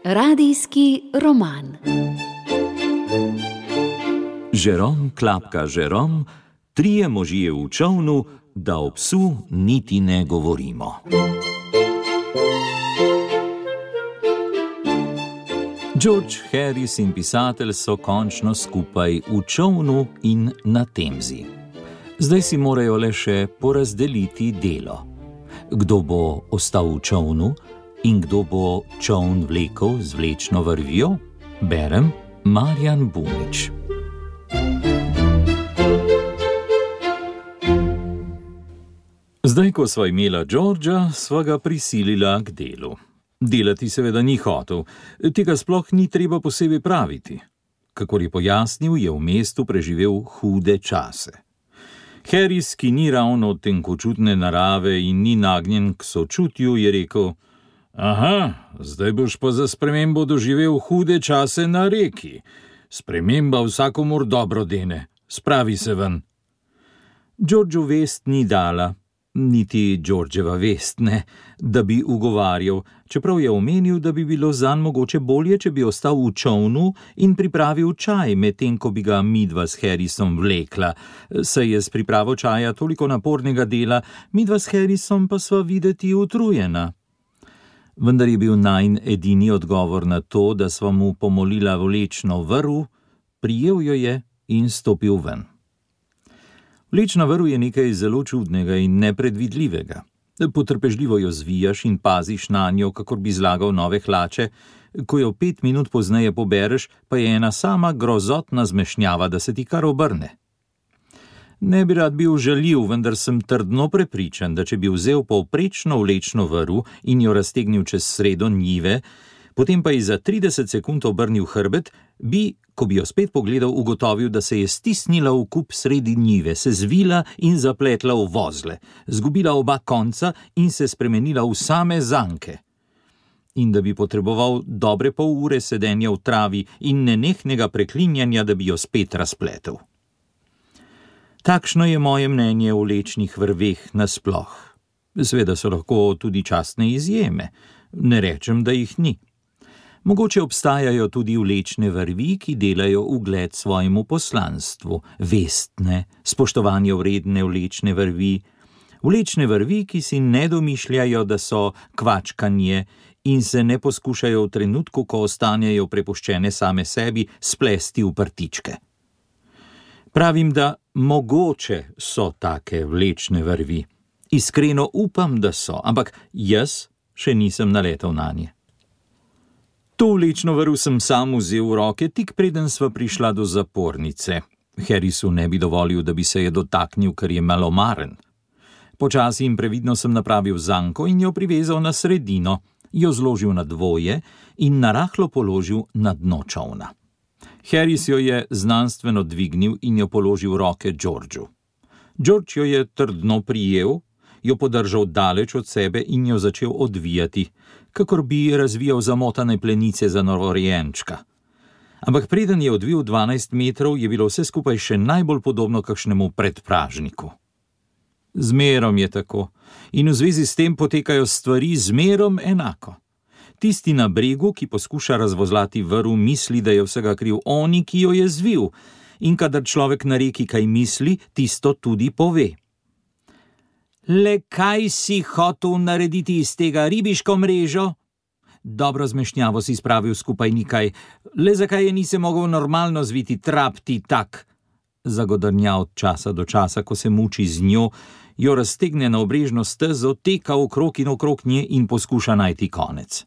Radijski roman. Žerom klapka Žerom, trije možje v čolnu, da o psu niti ne govorimo. George Harris in pisatelj so končno skupaj v čolnu in na Temzi. Zdaj si morajo le še porazdeliti delo. Kdo bo ostal v čolnu in kdo bo čoln vlekel z vlečno vrvjo? Berem Marjan Bumič. Zdaj, ko sva imela Georgea, sva ga prisilila k delu. Delati seveda ni hotel, tega sploh ni treba posebej praviti. Kakor je pojasnil, je v mestu preživel hude čase. Harris, ki ni ravno tenkočutne narave in ni nagnjen k sočutju, je rekel: Aha, zdaj boš pa za spremembo doživel hude čase na reki. Sprememba vsakomur dobro dene, spravi se ven. Georgeu vest ni dala, niti Georgeva vest ne, da bi ugovarjal, čeprav je omenil, da bi bilo zanj mogoče bolje, če bi ostal v čolnu in pripravil čaj, medtem ko bi ga midva s Harrisom vlekla. Saj je s pripravo čaja toliko napornega dela, midva s Harrisom pa sva videti utrujena. Vendar je bil najin edini odgovor na to, da sva mu pomolila vlečno vrv, prijel jo je in stopil ven. Vlečna vrv je nekaj zelo čudnega in nepredvidljivega. Potrpežljivo jo zvijaš in paziš na njo, kakor bi zlagal nove hlače, ko jo 5 minut pozneje pobereš, pa je ena sama grozotna zmešnjava, da se ti kar obrne. Ne bi rad bil žaljiv, vendar sem trdno prepričan, da če bi vzel povprečno vlečno vrv in jo raztegnil čez sredo njive, potem pa ji za 30 sekund obrnil hrbet, bi, ko bi jo spet pogledal, ugotovil, da se je stisnila v kup sredi njive, se zvila in zapletla v vozle, zgubila oba konca in se spremenila v same zanke. In da bi potreboval dobre pol ure sedenja v travi in nenehnega preklinjanja, da bi jo spet razpletel. Takšno je moje mnenje o vlečnih vrveh nasploh. Seveda so lahko tudi častne izjeme, ne rečem, da jih ni. Mogoče obstajajo tudi vlečne vrvi, ki delajo ugled svojemu poslanstvu, vestne, spoštovanje vredne vlečne vrvi. Vlečne vrvi, ki si ne domišljajo, da so kvačkanje in se ne poskušajo v trenutku, ko ostanejo prepuščene same sebi, splesti v prtičke. Pravim, da mogoče so take vlečne vrvi. Iskreno upam, da so, ampak jaz še nisem naletel nanje. To vlečno vrv sem sam vzel v roke, tik preden sva prišla do zapornice. Harrisu ne bi dovolil, da bi se je dotaknil, ker je malomaren. Počasi in previdno sem napravil zanko in jo privezal na sredino, jo zložil na dvoje in narahlo položil na dno čolna. Harris jo je znanstveno dvignil in jo položil v roke Georgeu. George jo je trdno prijel, jo podržal daleč od sebe in jo začel odvijati, kakor bi razvijal zamotane plenice za novorojenčka. Ampak preden je odvil 12 metrov, je bilo vse skupaj še najbolj podobno kakšnemu predpražniku. Zmerom je tako in v zvezi s tem potekajo stvari zmerom enako. Tisti na bregu, ki poskuša razvozlati vrv, misli, da je vsega kriv oni, ki jo je zvil, in kadar človek na reki kaj misli, tisto tudi pove. Le kaj si hotel narediti iz tega, ribiško mrežo? Dobro zmešnjavo si spravil skupaj nikaj, le zakaj je nisi mogel normalno zviti, trap ti tak? Zagodrnja od časa do časa, ko se muči z njo, jo raztegne na obrežno stezo, teka okrog in okrog nje in poskuša najti konec.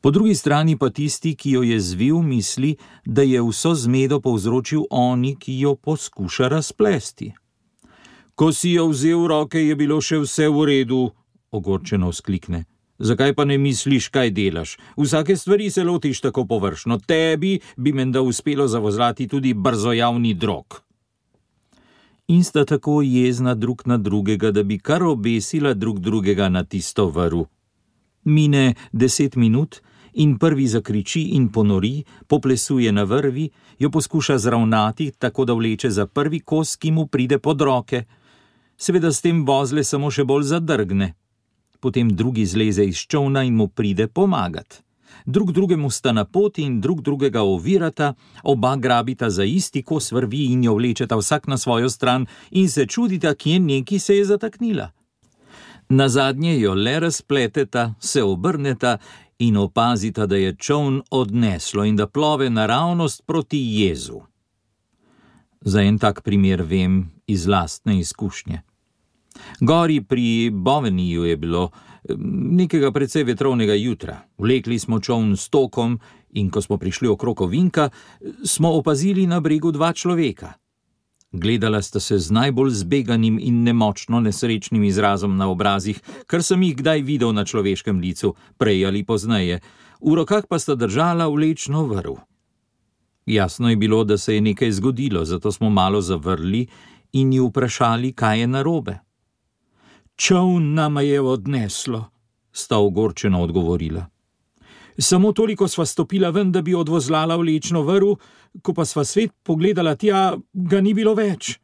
Po drugi strani pa tisti, ki jo je zvil, misli, da je vso zmedo povzročil oni, ki jo poskuša razplesti. Ko si jo vzel v roke, je bilo še vse v redu, ogorčeno vzklikne. Zakaj pa ne misliš, kaj delaš? Vsake stvari se lotiš tako površno. Tebi bi menda uspelo zavozlati tudi brzojavni drog. In sta tako jezna drug na drugega, da bi kar obesila drug drugega na tisto vrv. Mine 10 minut in prvi zakriči in ponori, poplesuje na vrvi, jo poskuša zravnati, tako da vleče za prvi kos, ki mu pride pod roke. Seveda s tem vozle samo še bolj zadrgne. potem drugi zleze iz čolna in mu pride pomagat. Drug drugemu sta na poti in drug drugega ovirata, oba grabita za isti kos vrvi in jo vlečeta vsak na svojo stran in se čudita, kje neki se je zataknila. Nazadnje jo le razpleteta, se obrneta in opazita, da je čoln odneslo in da plove naravnost proti jezu. Za en tak primer vem iz lastne izkušnje. Gori pri Boveniju je bilo nekega precej vetrovnega jutra. Vlekli smo čoln s tokom in ko smo prišli okrog ovinka, smo opazili na bregu dva človeka. Gledala sta se z najbolj zbeganim in nemočno nesrečnim izrazom na obrazih, kar sem jih kdaj videl na človeškem licu, prej ali pozneje. V rokah pa sta držala vlečno vrv. Jasno je bilo, da se je nekaj zgodilo, zato smo malo zavrli in ji vprašali, kaj je narobe. Čoln nama je odneslo, sta ogorčeno odgovorila. Samo toliko sva stopila ven, da bi odvozlala vlečno vrv, ko pa sva svet pogledala tja, ga ni bilo več.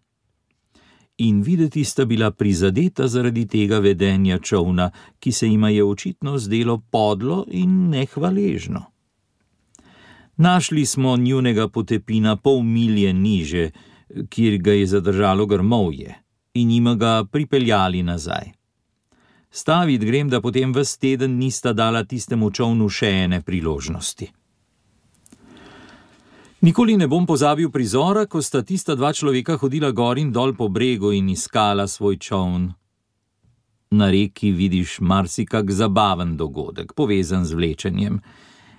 In videti sta bila prizadeta zaradi tega vedenja čolna, ki se jima je očitno zdelo podlo in nehvaležno. Našli smo njunega potepina pol milje niže, kjer ga je zadržalo grmovje, in jima ga pripeljali nazaj. Stavit grem, da potem ves teden nista dala tistemu čolnu še ene priložnosti. Nikoli ne bom pozabil prizora, ko sta tista dva človeka hodila gor in dol po bregu in iskala svoj čoln. Na reki vidiš marsikak zabaven dogodek, povezan z vlečenjem.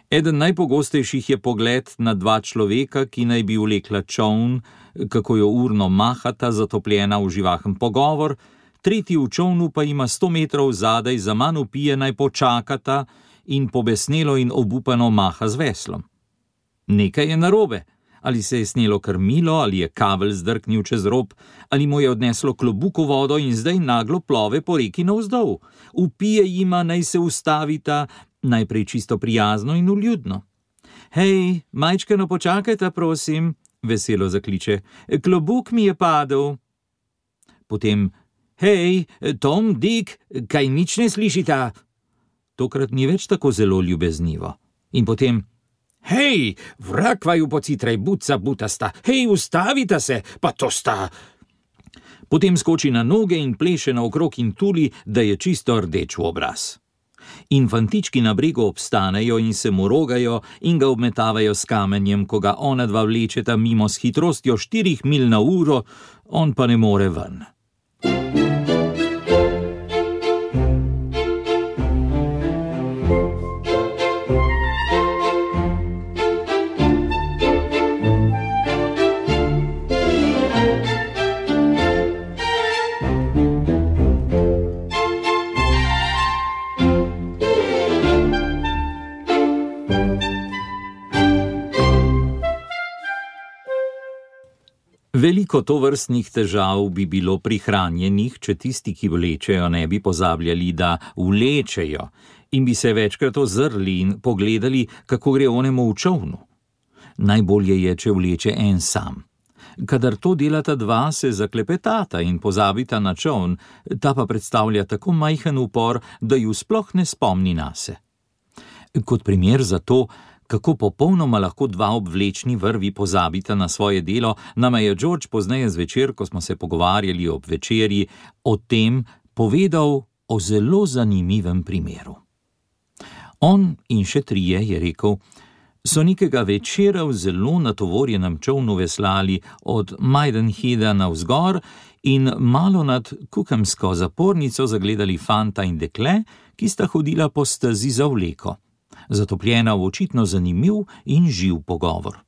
Eden najpogostejših je pogled na dva človeka, ki naj bi vlekla čoln, kako jo urno mahata, zatopljena v živahen pogovor, tretji v čolnu pa ima 100 metrov zadaj zaman vpije, naj počakata in pobesnelo in obupano maha z veslom. Nekaj je narobe, ali se je snelo krmilo, ali je kabel zdrknil čez rob, ali mu je odneslo klobuk v vodo in zdaj naglo plove po reki navzdol. Vpije jima, naj se ustavita, najprej čisto prijazno in vljudno. Hej, majčkeno počakajta, prosim, veselo zakliče, klobuk mi je padel. Potem, hej, Tom, Dick, kaj nič ne slišita? Tokrat ni več tako zelo ljubeznivo. In potem, hej, vrak vaju pocitraj, buca butasta, hej, ustavita se, pa to sta. Potem skoči na noge in pleše naokrog in tuli, da je čisto rdeč v obraz. In fantički na bregu obstanejo in se mu rogajo in ga obmetavajo s kamenjem, ko ga ona dva vlečeta mimo s hitrostjo 4 milj na uro, on pa ne more ven. Veliko tovrstnih težav bi bilo prihranjenih, če tisti, ki vlečejo, ne bi pozabljali, da vlečejo in bi se večkrat ozrli in pogledali, kako gre onemu v čolnu. Najbolje je, če vleče en sam. Kadar to delata dva, se zaklepetata in pozabita na čoln, ta pa predstavlja tako majhen upor, da ju sploh ne spomni nase. Kot primer za to, kako popolnoma lahko dva obvlečni vrvi pozabita na svoje delo, nama je George pozneje zvečer, ko smo se pogovarjali ob večerji, o tem povedal o zelo zanimivem primeru. On in še trije, je rekel, so nekega večera v zelo natovorjenem čolnu veslali od Maidenheada navzgor in malo nad Cookhamsko zapornico zagledali fanta in dekle, ki sta hodila po stezi za vleko, zatopljena v očitno zanimiv in živ pogovor.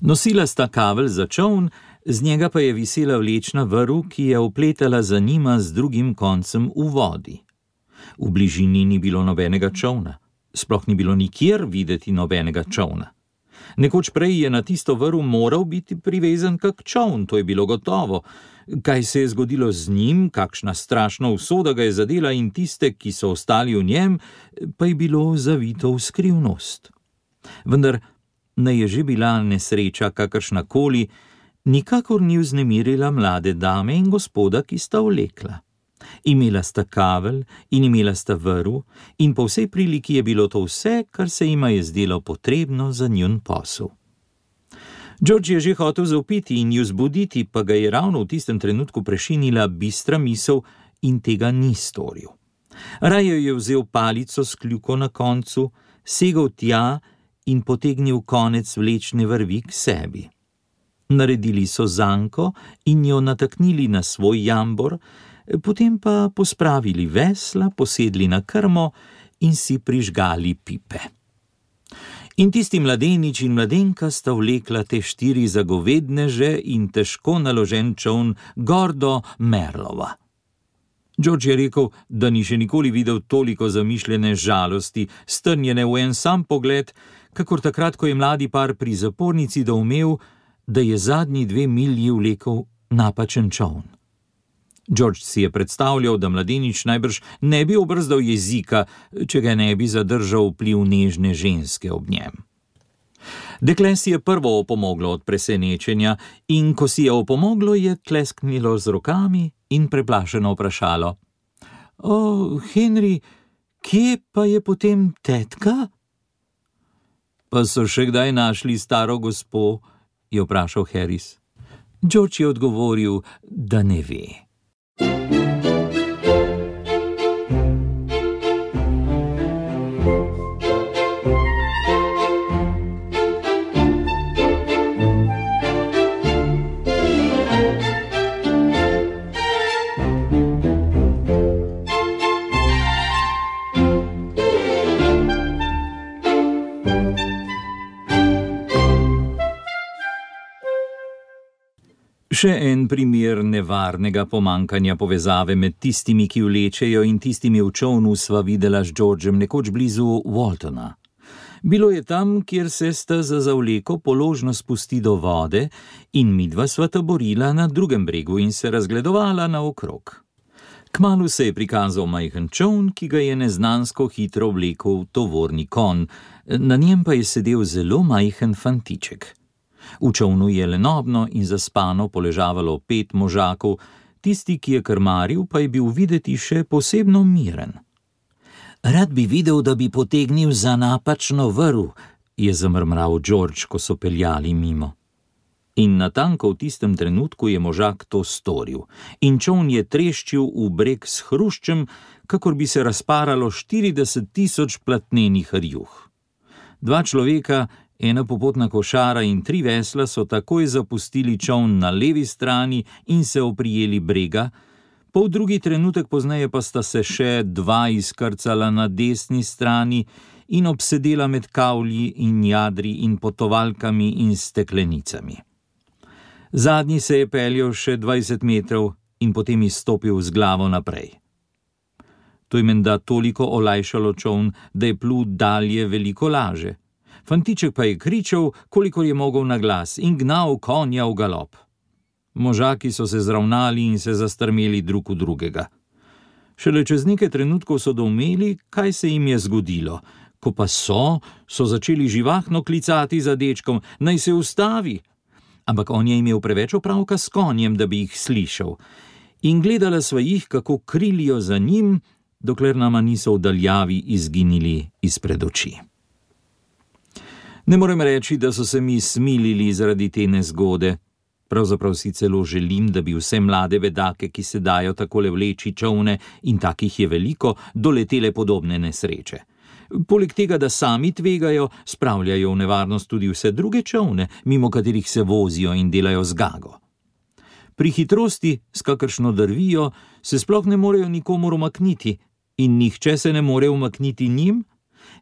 Nosila sta kavelj za čoln, z njega pa je visela vlečna vrv, ki je opletala za njima z drugim koncem v vodi. V bližini ni bilo nobenega čolna, sploh ni bilo nikjer videti nobenega čolna. Nekoč prej je na tisto vrv moral biti privezan kak čoln, to je bilo gotovo. Kaj se je zgodilo z njim, kakšna strašna usoda ga je zadela in tiste, ki so ostali v njem, pa je bilo zavito v skrivnost. Vendar naj je že bila nesreča kakršnakoli, nikakor ni vznemirila mlade dame in gospoda, ki sta vlekla. Imela sta kavelj in imela sta vrv in po vsej priliki je bilo to vse, kar se jima je zdelo potrebno za njun posel. George je že hotel zavpiti in ju zbuditi, pa ga je ravno v tistem trenutku prešinila bistra misel in tega ni storil. Raje je vzel palico s kljuko na koncu, segel tja in potegnil konec vlečne vrvi k sebi. Naredili so zanko in jo nataknili na svoj jambor, potem pa pospravili vesla, posedli na krmo in si prižgali pipe. In tisti mladenič in mladenka sta vlekla te 4 zagovedneže in težko naložen čoln gor do Merlova. George je rekel, da ni še nikoli videl toliko zamišljene žalosti, strnjene v en sam pogled, kakor takrat, ko je mladi par pri zapornici doumel, da je zadnji 2 milji vlekel napačen čoln. George si je predstavljal, da mladenič najbrž ne bi obrzdal jezika, če ga ne bi zadržal vpliv nežne ženske ob njem. Dekle si je prvo opomoglo od presenečenja in ko si je opomoglo, je tlesknilo z rokami in preplašeno vprašalo: "O, Henry, kje pa je potem tetka?" "Pa so še kdaj našli staro gospo?" je vprašal Harris. George je odgovoril, da ne ve. Še en primer nevarnega pomankanja povezave med tistimi, ki vlečejo, in tistimi v čolnu sva videla s Georgem nekoč blizu Waltona. Bilo je tam, kjer se steza za vleko položno spusti do vode in midva sva taborila na drugem bregu in se razgledovala naokrog. Kmalu se je prikazal majhen čoln, ki ga je neznansko hitro vlekel tovorni konj, na njem pa je sedel zelo majhen fantiček. V čolnu je lenobno in zaspano poležavalo 5 možakov, tisti, ki je krmaril, pa je bil videti še posebno miren. "Rad bi videl, da bi potegnil za napačno vrv," je zamrmral George, ko so peljali mimo. In natanko v tistem trenutku je možak to storil in čoln je treščil v breg s hruščem, kakor bi se razparalo 40 000 platnenih rjuh. 2 človeka, ena popotna košara in 3 vesla so takoj zapustili čoln na levi strani in se oprijeli brega, pol drugi trenutek pozneje pa sta se še 2 izkrcala na desni strani in obsedela med kavlji in jadri in potovalkami in steklenicami. Zadnji se je peljal še 20 metrov in potem izstopil z glavo naprej. To je menda toliko olajšalo čoln, da je plul dalje veliko laže. Fantiček pa je kričal, kolikor je mogel na glas, in gnal konja v galop. Možaki so se zravnali in se zastrmeli drug v drugega. Šele čez nekaj trenutkov so doumeli, kaj se jim je zgodilo. Ko pa so začeli živahno klicati za dečkom, naj se ustavi. Ampak on je imel preveč opravka s konjem, da bi jih slišal. In gledala sva jih, kako krilijo za njim, dokler nama niso v daljavi izginili izpred oči. Ne morem reči, da so se mi smilili zaradi te nezgode. Pravzaprav si celo želim, da bi vse mlade vedake, ki se dajo takole vleči čolne, in takih je veliko, doletele podobne nesreče. Poleg tega, da sami tvegajo, spravljajo v nevarnost tudi vse druge čolne, mimo katerih se vozijo in delajo zgago. Pri hitrosti, s kakršno drvijo, se sploh ne morejo nikomur umakniti in nihče se ne more umakniti njim.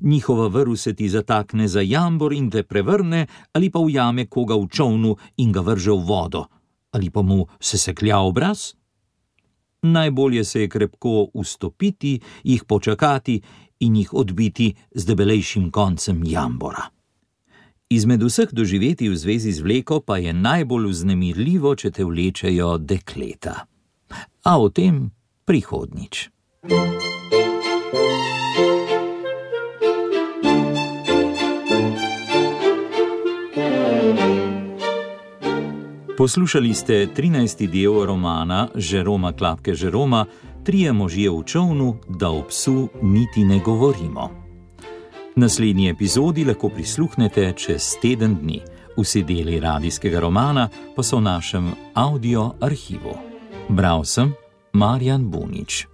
Njihova vrv se ti zatakne za jambor in te prevrne, ali pa ujame koga v čolnu in ga vrže v vodo, ali pa mu seseklja obraz. Najbolje se je krepko ustopiti, jih počakati in jih odbiti z debelejšim koncem jambora. Izmed vseh doživetij v zvezi z vleko pa je najbolj vznemirljivo, če te vlečejo dekleta. A o tem prihodnjič. Poslušali ste 13. del romana Jeroma Klapke Jeroma trije možje v čolnu, da o psu niti ne govorimo. Naslednji epizodi lahko prisluhnete čez teden dni. Vsi deli radijskega romana pa so v našem audio arhivu. Bral sem Marjan Bunič.